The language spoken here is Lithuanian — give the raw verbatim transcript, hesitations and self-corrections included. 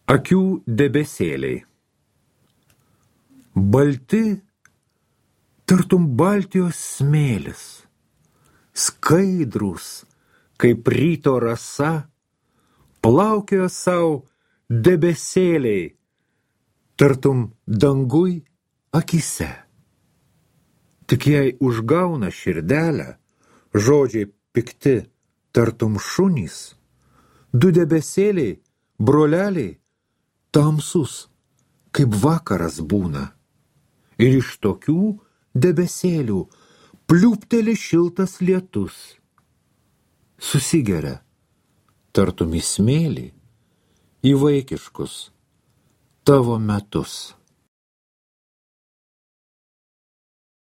Akių debesėliai. Balti, tartum Baltijos smėlis, skaidrūs, kaip ryto rasa, plaukioja savo debesėliai, tartum dangui akise. Tik jei užgauna širdelę, žodžiai pikti, tartum šunys, du debesėliai, broleliai, tamsus, kaip vakaras būna. Ir iš tokių debesėlių pliūpteli šiltas lietus. Susigeria, tartum į smėlį, į vaikiškus tavo metus.